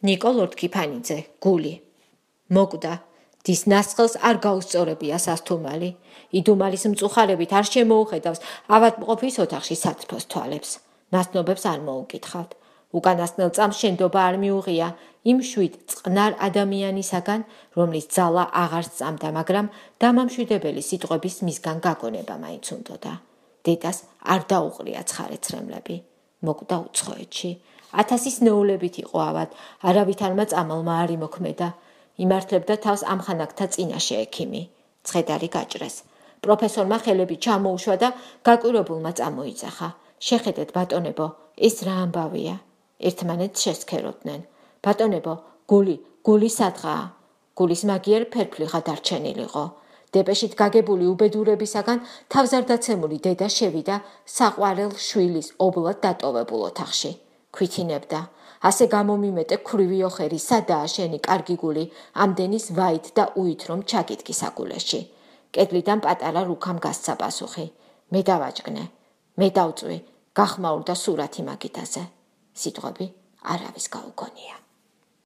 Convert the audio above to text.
ნიკოლორდ ქიფანიძე, გული. მოკვდა. დის ნასხელს არ გაუსწორებია სასთუმალი. იდუმალის მწუხარებით არ შემოუხედავს ავადმყოფის ოთახში სათრფოს თვალებს. ნაცნობებს არ მოუკითხავთ. უკანასკნელ წამს შენდობა არ მიუღია იმ შვიდ წყნარ ადამიანისაგან, რომლის ძალა აღარ სწამდა, მაგრამ დამამშვიდებელი სიტყვების მისგან გაგონება მაინც უნდოდა. დედას არ დაუყრია ცხარე-ცრემლები. მოკვდა უცხოეთში. 1000 ნეულებით იყო ავად, არავითარმა წამალმა არ იმოქმედა. იმართლებდა თავს ამხანაგთა წინაშე ექიმი. ცხედარი გაჭრეს. პროფესორმა ხელები ჩამოუშვა და გაკვირვებულმა წამოიძახა. შეხედეთ, ბატონებო, ეს რა ამბავია? ერთმანეთს შესქეროდნენ. ბატონებო, გული სადღაა? გულის მაგიერ ფერფლიხა დარჩენილიყო. დეპეშით გაგებული უბედურებისაგან თავზარდაცემული დედა შევიდა საყვარელ შვილის ობლად დატოვებულ ოთახში. ქვითინებდა. ასე გამომიმეტე ქვრივი ოხერი, სადაა შენი კარგი გული, ამდენის ვაით და უით რომ ჩაგიდგი საგულეში. კედლიდან პატარა რუქამ გასცა პასუხი. მე დავაჭკნე, მე დავწვი, გახმაურდა სურათი მაგიდაზე. სიტყვები არავის გაუგონია.